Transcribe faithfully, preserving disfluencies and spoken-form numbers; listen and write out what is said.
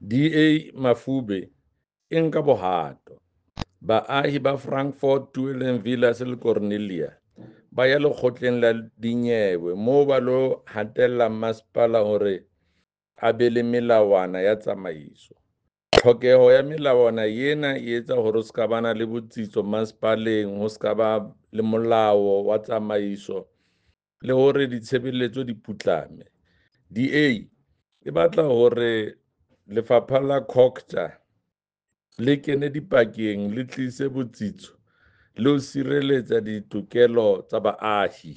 D A mafube e nka bohato. Baahi ba Frankfort, Tweeling Villas le Cornelia ba ya lekgotleng la dinyewe moo ba lo hatella masepala hore a be le melawana ya tsamaiso. Tlhokeho ya melawana ena e etsa hore ho ska bana le botsitso masepaleng, ho ska ba le molao wa tsamaiso le hore ditshebeletso di putlame. D A e batla hore lefapha la COGTA le kene dipakeng, le tlise botsitso le ho sireletsa ditokelo tsa baahi.